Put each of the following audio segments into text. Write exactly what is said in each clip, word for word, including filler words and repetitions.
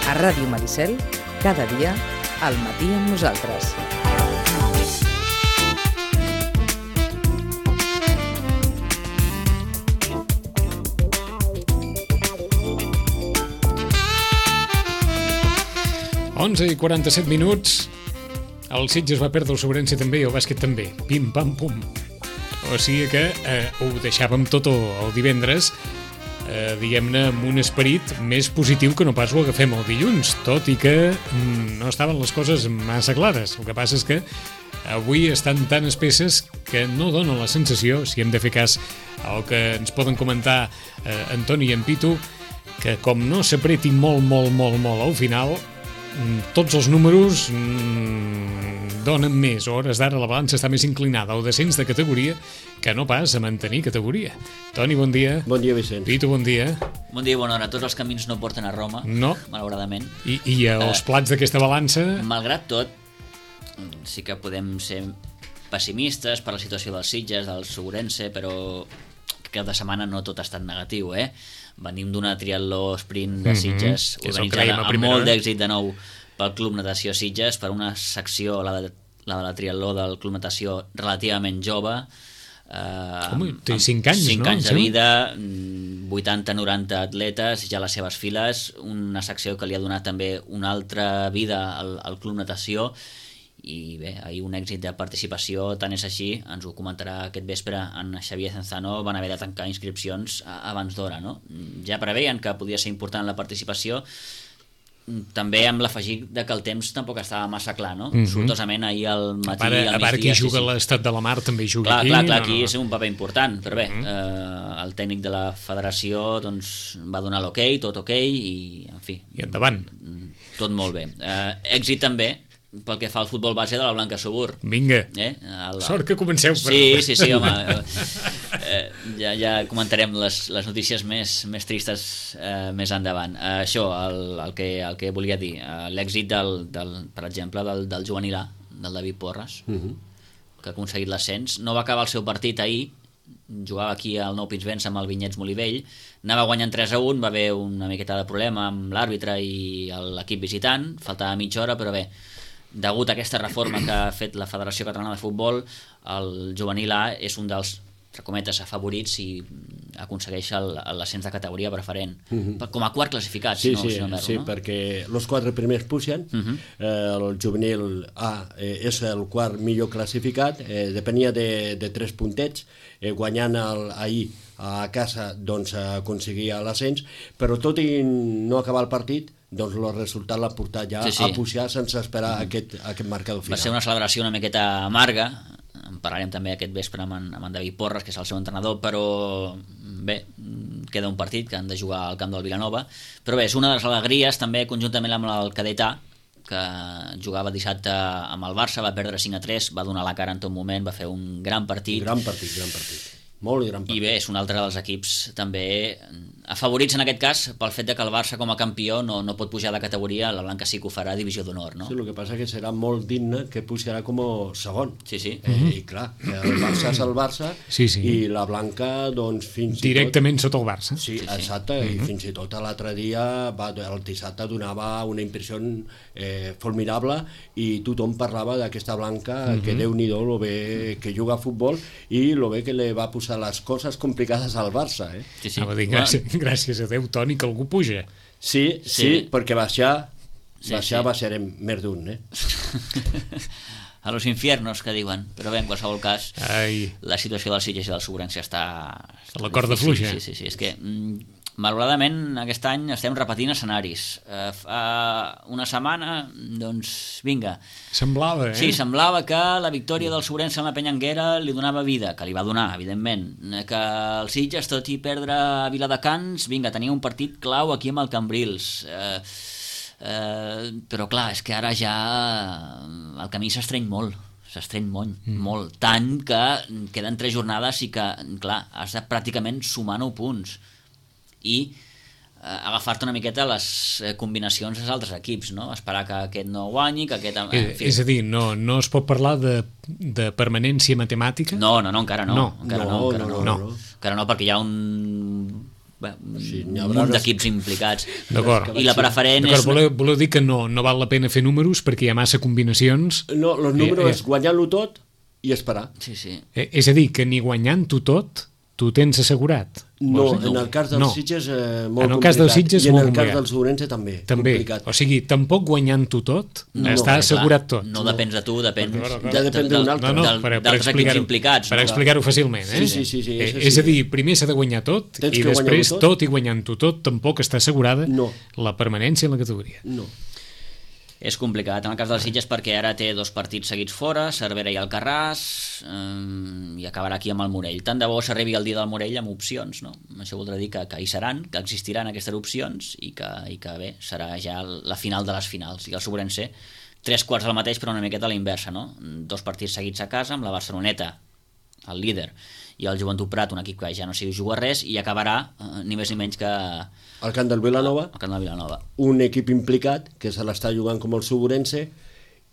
A Ràdio Maricel, cada dia, al matí amb nosaltres. onze i quaranta-set minuts. El Sitges va perdre el Sobrense també i el bàsquet també. Pim, pam, pum. O sigui que eh, ho deixàvem tot el, el divendres, eh, diguem-ne, amb un esperit més positiu que no pas ho agafem el dilluns, tot i que mm, no estaven les coses massa clares. El que passa és que avui estan tan espesses que no donen la sensació, si hem de fer cas al que ens poden comentar eh, Antoni i en Pitu, que com no s'apreti molt, molt, molt, molt al final, tots els números mm, donen més. A hores d'ara la balança està més inclinada al descens de categoria que no pas a mantenir categoria. Toni, bon dia. Bon dia, Vicent. Pitu, bon dia. Bon dia i bona hora. Tots els camins no porten a Roma, no, malauradament. I, i els plats d'aquesta balança... Malgrat tot, sí que podem ser pessimistes per la situació dels Sitges, del Segurense, però cap de setmana no tot ha estat negatiu, eh? Venim d'una triatló sprint de Sitges, mm-hmm, organitzada amb molt d'èxit de nou pel Club Natació Sitges, per una secció, la de la, de la triatló del Club Natació, relativament jove. Eh, Home, té cinc anys, cinc no? anys de vida, vuitanta noranta atletes ja a les seves files, una secció que li ha donat també una altra vida al, al Club Natació, i bé, ahir un èxit de participació, tant és així, ens ho comentarà aquest vespre en Xavier Cenzano, van haver de tancar inscripcions abans d'hora, no? Ja preveien que podia ser important la participació, també amb l'afegit de que el temps tampoc estava massa clar, no? Mm-hmm. Sortosament ahir al matí, a part, al migdia... A part qui juga sí, sí. l'Estat de la Mar també juga clar, aquí. Clar, clar, no, aquí no. és un paper important, però bé, Mm-hmm. eh, el tècnic de la federació doncs, va donar l'ok, tot ok, i en fi... I endavant. Tot molt bé. Eh, èxit també pel que fa al futbol base de la Blanca Subur. Vinga, eh? el... sort que comenceu per... Sí, sí, sí, home. Eh, ja, ja comentarem les, les notícies més, més tristes eh, més endavant. Eh, això, el, el, que, el que volia dir, eh, l'èxit del, del, per exemple, del, del juvenil A, del David Porres, uh-huh. que ha aconseguit l'ascens. No va acabar el seu partit ahir, jugava aquí al Nou Pinsbens amb el Vinyets Molivell, anava guanyant tres a un, va haver una miqueta de problema amb l'àrbitre i l'equip visitant, faltava mitja hora, però bé, degut a aquesta reforma que ha fet la Federació Catalana de Futbol, el juvenil A és un dels, entre cometes, afavorits i aconsegueix l'ascens de categoria preferent. Uh-huh. Com a quart classificat, sí, si no, sí, si no m'erro, sí, no? perquè els quatre primers pugen, uh-huh. eh, el juvenil A eh, és el quart millor classificat, eh, depenia de, de tres puntets, eh, guanyant el, ahir a casa doncs aconseguia l'ascens, però tot i no acabar el partit, doncs el resultat l'ha portat ja sí, sí. a pujar sense esperar mm. aquest, aquest marcador final. Va ser una celebració una miqueta amarga, en parlarem també aquest vespre amb en, amb en David Porres, que és el seu entrenador, però bé, queda un partit que han de jugar al camp del Vilanova, però bé, és una de les alegries també conjuntament amb el cadet A, que jugava dissabte amb el Barça, va perdre cinc a tres, va donar la cara en tot moment, va fer un gran partit. Un gran partit, gran partit. Molt gran partit. I bé, és un altre dels equips també afavorits en aquest cas pel fet de que el Barça com a campió no, no pot pujar de categoria, la Blanca sí que ho farà a divisió d'honor, no? Sí, el que passa que serà molt digne que pujarà com a segon. Sí, sí. Eh, mm-hmm. I clar, el Barça és el Barça sí, sí. i la Blanca doncs fins directament i tot... sota el Barça. Sí, sí, exacte, sí. Mm-hmm. I fins i tot l'altre dia va, el dissabte donava una impressió eh, formidable i tothom parlava d'aquesta Blanca mm-hmm. que Déu-n'hi-do lo bé que juga a futbol i lo bé que li va posar les coses complicades al Barça, eh? Sí, sí. Ah, dir, gràcies, gràcies a Déu, Toni, que algú puja. Sí, sí, sí, perquè baixar, sí, baixar sí. baixarem més d'un, eh? A los infiernos, que diuen. Però bé, en qualsevol cas, Ai. la situació del Sitges i del Segurense està... està la corda fluixa. Sí, sí, sí. És que, mm, malauradament, aquest any estem repetint escenaris. Uh, fa una setmana, doncs, vinga. Semblava, eh? Sí, semblava que la victòria del Segurense en la Penyanguera li donava vida, que li va donar, evidentment. Que el Sitges, tot i perdre a Viladecans, vinga, tenia un partit clau aquí amb el Cambrils. Uh, uh, però clar, és que ara ja el camí s'estreny molt. s'estreny molt, mm. molt, tant que queden tres jornades i que, clar, has de pràcticament sumar nou punts. I agafar-te una miqueta les combinacions dels altres equips, no? Esperar que aquest no guanyi, que aquest... En Eh, fi. és a dir, no, no es pot parlar de, de permanència matemàtica? No, no, no, encara no. No. Encara no, No, encara no, no, no, no. no. Encara no, perquè hi ha un... Bé, un Sí, n'hi un haurà munt unes- d'equips implicats. D'acord. I la preferent D'acord, és... voleu, voleu dir que no, no val la pena fer números perquè hi ha massa combinacions? No, els números Eh, eh. és guanyar-lo tot i esperar. Sí, sí. Eh, és a dir, que ni guanyant-ho tot, tu tens assegurat? No, Vols dir? en el cas dels No. Sitges eh, molt En el complicat. cas dels Sitges, I en molt el cas complicat. del Ourense també, També, complicat. o sigui, tampoc guanyant-ho tot, No, està clar, assegurat tot. No depens de tu, depèn D'acord, d'acord. Ja depèn d'un altre. No, no, del- per, per d'altres equips explicar-ho implicats. per no? explicar-ho fàcilment, eh? Sí, sí, sí, sí, Eh, això és sí. a dir, primer s'ha de guanyar tot Tens i que després guanyar-ho tot. tot i guanyant-ho tot tampoc està assegurada No. la permanència en la categoria. No. És complicat, en el cas dels Sitges, perquè ara té dos partits seguits fora, Cervera i Alcarràs, eh, i acabarà aquí amb el Morell. Tant de bo s'arribi el dia del Morell amb opcions, no? Això voldrà dir que, que hi seran, que existiran aquestes opcions i que, i que bé, serà ja la final de les finals. I el Sobrense, tres quarts del mateix, però una miqueta a la inversa, no? Dos partits seguits a casa, amb la Barceloneta, el líder, i el Joventut Prat, un equip que ja no s'hi juga res, i acabarà eh, ni més ni menys que Al camp del Vilanova, el Camp de Vilanova. un equip implicat que se l'està jugant com el Ourense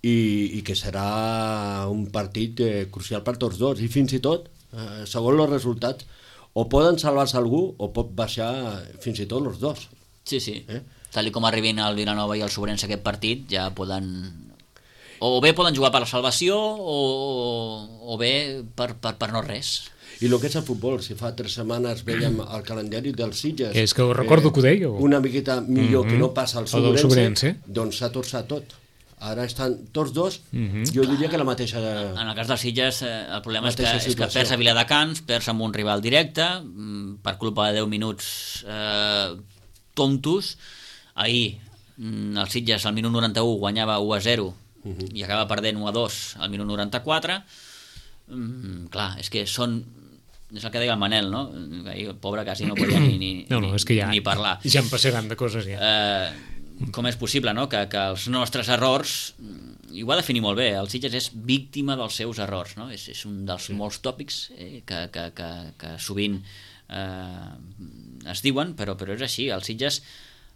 i, i que serà un partit eh, crucial per tots dos. I fins i tot, eh, segons els resultats, o poden salvar-se algú o pot baixar fins i tot els dos. Sí, sí. Eh? Tal i com arribin el Vilanova i el Sobrense aquest partit, ja poden... O bé poden jugar per la salvació o, o bé per, per, per no res. I el que és el futbol, si fa tres setmanes veiem el calendari dels Sitges... És que ho recordo que ho dèieu. Una miqueta millor Mhm. que no passa al O del Ourense, Ourense. doncs s'ha torçat tot. Ara estan tots dos, Mhm. jo diria que la mateixa... En el cas dels Sitges, eh, el problema és que, Mateixa és que situació. perds a Viladecans, perds amb un rival directe, mm, per culpa de deu minuts eh, tontos. Ahir, mm, el Sitges al minut noranta-u guanyava u a zero i acaba perdent u a dos al minut noranta-quatre. Mm, clar, és que són... És el que deia el Manel, no? Ahir el pobre quasi no podia ni, ni, No, no, ni, és que ja, ni parlar. ja en passaran de coses, ja. Eh, com és possible, no?, que, que els nostres errors, i ho va definir molt bé, el Sitges és víctima dels seus errors, no? És, és un dels sí. molts tòpics eh, que, que, que, que sovint eh, es diuen, però, però és així, el Sitges,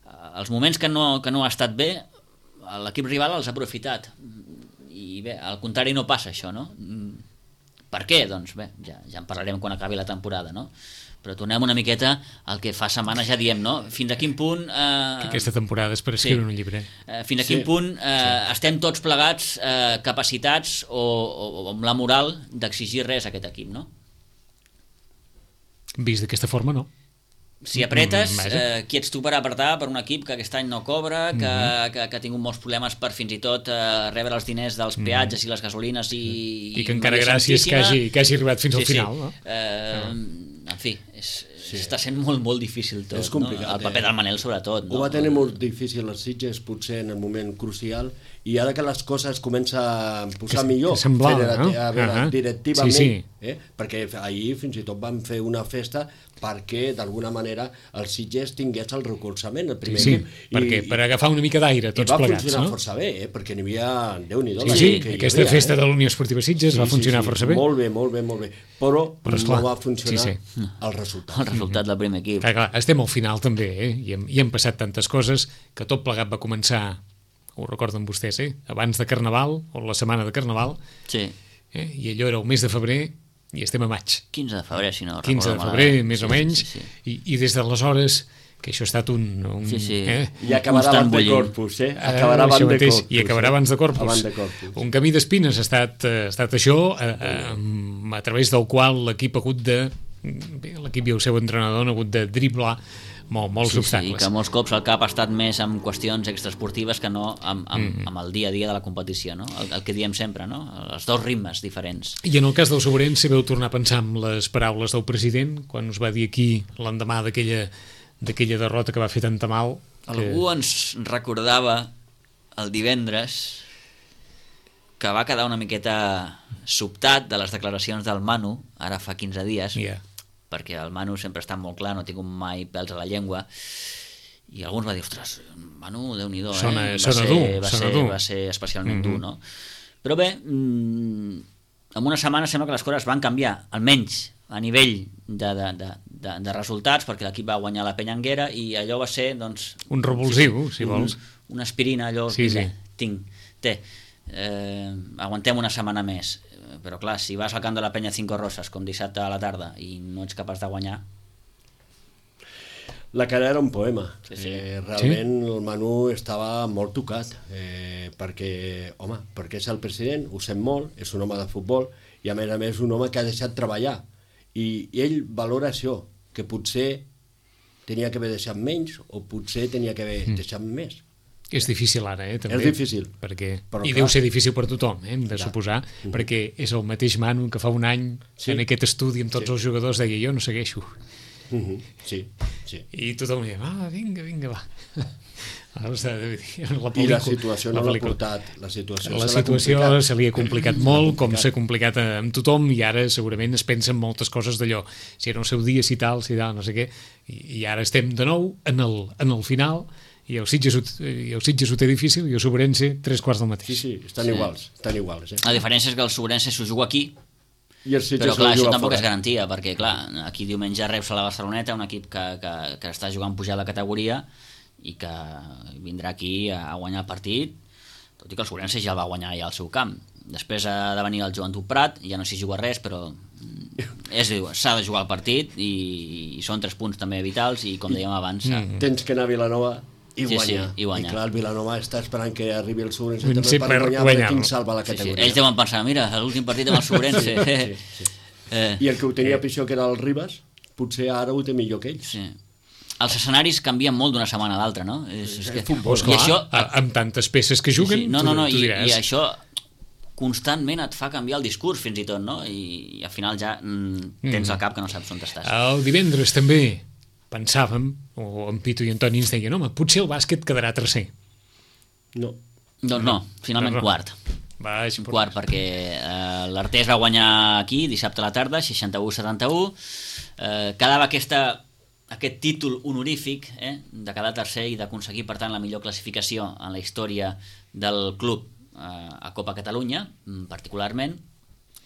eh, els moments que no, que no ha estat bé, l'equip rival els ha aprofitat, i bé, al contrari no passa això, no? Per què? Doncs bé, ja, ja en parlarem quan acabi la temporada, no? Però tornem una miqueta al que fa setmanes ja diem, no? Fins a quin punt... Eh, Que aquesta temporada és per escriure sí. un llibre. eh, fins a Sí. quin punt eh, sí. estem tots plegats eh, capacitats o, o, o amb la moral d'exigir res a aquest equip, no? Vist d'aquesta forma, no. Si apretes, Mm, vaja. eh, qui ets tu per apretar per un equip que aquest any no cobra, que, Mm-hmm. que, que ha tingut molts problemes per fins i tot eh, rebre els diners dels peatges i les gasolines i... I que encara Maria gràcies que Santíssima. hagi, que hagi arribat fins Sí, al final, sí. no? Eh, en fi, és, sí. està sent molt, molt difícil tot, És complicat, no? El paper eh? del Manel sobretot, no? Ho va tenir molt difícil els Sitges, potser en el moment crucial, i ara que les coses comença a posar Que- millor, que semblava, federati- no? a veure, Ahà. directivament, Sí, sí. Eh? perquè ahir fins i tot van fer una festa perquè d'alguna manera el Sitges tingués el recolzament, el primer Sí, equip. perquè per agafar una mica d'aire i tots va plegats, funcionar no? força bé, eh? perquè n'hi havia... Déu-n'hi-do, Sí, la sí, gent que hi aquesta havia, festa eh? de la Unió Esportiva Sitges va funcionar força bé. Molt bé, molt bé, molt bé. Però, Però, esclar, no va funcionar sí, sí, sí. el resultat. El resultat del primer equip. Clar, clar, estem al final també, eh? I hem, i hem passat tantes coses que tot plegat va començar, ho recorden vostès, eh? Abans de Carnaval, o la setmana de Carnaval, Sí, eh? I allò era el mes de febrer i estem a maig. quinze de febrer, si no quinze de recordo febrer, malament. més Sí, o menys, sí, sí. I, i des d'aleshores, que això ha estat un... un Sí, sí. Eh? I acabarà Constant abans de bullint. Corpus, eh? Eh, Acabarà això abans de mateix, Corpus. I acabarà eh? abans de Corpus. Abans de Corpus. Un camí d'espines ha estat, eh, ha estat això, eh, eh, a través del qual l'equip ha hagut de... Bé, l'equip i el seu entrenador han hagut de driblar molt, molts Sí, sí, obstacles. que molts cops el cap ha estat més amb qüestions extraesportives que no amb, amb, Mm. amb el dia a dia de la competició, no? El, el que diem sempre, no? Els dos ritmes diferents. I en el cas del Sobrense veu tornar a pensar en les paraules del president quan us va dir aquí l'endemà d'aquella d'aquella derrota que va fer tanta mal que... Algú ens recordava el divendres que va quedar una miqueta sobtat de les declaracions del Manu, ara fa quinze dies, Yeah. perquè el Manu sempre està molt clar, no ha tingut mai pèls a la llengua, i alguns va dir, ostres, Manu, Déu-n'hi-do, eh? Sona- va, sona ser, dur, va, sona ser, dur. va ser especialment Mhm. dur, no? Però bé, mm, en una setmana sembla que les coses van canviar, almenys a nivell de, de, de, de, de resultats, perquè l'equip va guanyar la Penyanguera i allò va ser, doncs... Un revulsiu, si vols. Un, una aspirina, allò... Sí, sí. Tinc, té, eh, aguantem una setmana més, però clar, si vas al camp de la Penya Cinco Roses com dissabte a la tarda i no ets capaç de guanyar... La cara era un poema. Sí, sí. Eh, realment sí? El Manu estava molt tocat, eh, perquè, home, perquè és el president, ho sent molt, és un home de futbol, i a més a més un home que ha deixat treballar. I, i ell valora això, que potser tenia que haver deixat menys, o potser tenia que haver mm. deixat més. És difícil ara, eh, també. És difícil. Perquè... Però, I clar, deu ser difícil per tothom, eh, hem de clar. suposar, Mm-hmm. perquè és el mateix Manu que fa un any, Sí. en aquest estudi amb tots Sí. els jugadors, deia, jo no segueixo. Mm-hmm. Sí, sí. I tothom deia, ah, vinga, vinga, va. Ara està, la I la situació no la l'ha pel·lícula. portat. La situació, La se l'ha situació complicat. se li ha complicat molt, com s'ha complicat amb tothom, i ara segurament es pensa en moltes coses d'allò. Si era el seu dia, si tal, si tal, no sé què. I, i ara estem de nou en el, en el final, i el Sitges, ho- i el Sitges ho té difícil, i el Sobrense tres quarts del mateix. Sí, sí, estan Sí. iguals, estan iguals. Eh? La diferència és que el Sobrense s'ho juga aquí, I el Sitges però clar, el això juga tampoc fora. és garantia, perquè clar, aquí diumenge reps a la Barceloneta, un equip que, que, que està jugant pujada de categoria i que vindrà aquí a, a guanyar el partit, tot i que el Sobrense ja el va guanyar ja al seu camp. Després ha de venir el Joventut Prat, ja no s'hi juga res, però mm, és s'ha de jugar el partit i, i són tres punts també vitals i com dèiem abans... Mm. Tens que anar a Vilanova i Sí, sí, guanyar. i guanyar. I clar, el Vilanova està esperant que arribi el Sobrense Sí, també per per guanyar, guanyar-lo. perquè tinc salva la Sí, sí. categoria. Ells deuen pensar, mira, l'últim partit amb el Sobrense. Sí, sí. eh, I el que ho tenia pitjor, que era el Ribas, potser ara ho té millor que ells. sí. Els escenaris canvien molt d'una setmana a l'altra, no? És, és que... futbol, Pues I clar, això, a- amb tantes peces que juguen, sí, no, no, no, tu, tu i, diràs. i això constantment et fa canviar el discurs fins i tot, no? I, i al final ja mm, tens al cap que no saps on estàs. El divendres també pensàvem, o en Pitu i Antoni ens deien, home, potser el bàsquet quedarà tercer. No. Doncs no, finalment No, no. quart. Baix, Quart, perquè eh, l'Artés va guanyar aquí dissabte a la tarda, seixanta-u a setanta-u. Eh, quedava aquesta, aquest títol honorífic eh, de quedar tercer i d'aconseguir, per tant, la millor classificació en la història del club eh, a Copa Catalunya, mm, particularment.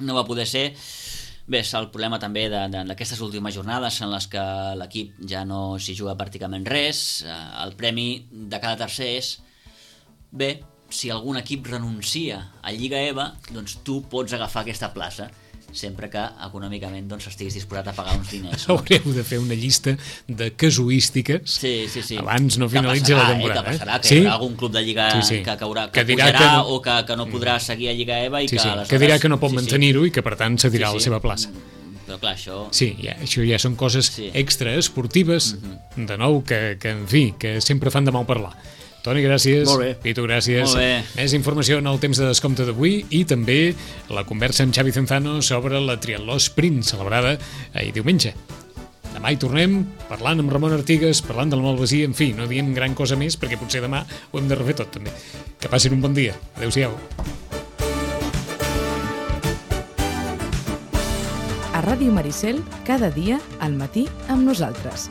No va poder ser. Bé, és el problema també de- de- d'aquestes últimes jornades en les que l'equip ja no s'hi juga pràcticament res. Eh, el premi de cada tercer és bé, si algun equip renuncia a Lliga E V A, doncs tu pots agafar aquesta plaça, sempre que econòmicament doncs, estiguis disposat a pagar uns diners. No? Haureu de fer una llista de casuístiques Sí, sí, sí. abans no Que finalitzi passarà, la temporada. Eh? Que passarà, que sí? hi haurà algun club de Lliga Sí, sí. que, caurà, que, Que que dirà pujarà que no- o que, que no podrà seguir a Lliga E V A i Sí, que sí, aleshores... que dirà que no pot sí, sí. mantenir-ho i que per tant cedirà Sí, sí. la seva plaça. Però clar, això... Sí, ja, això ja són coses Sí. extra esportives, Mhm. de nou, que, que, en fi, que sempre fan de mal parlar. Toni, gràcies. Molt bé. Pitu, gràcies. Molt bé. Més informació en el temps de descompte d'avui i també la conversa amb Xavi Zenzano sobre la triatló sprint celebrada ahir diumenge. Demà hi tornem parlant amb Ramon Artigas, parlant del Malvasí, en fi, no diem gran cosa més perquè potser demà ho hem de refer tot també. Que passin un bon dia. Adéu-siau. A Ràdio Maricel, cada dia al matí amb nosaltres.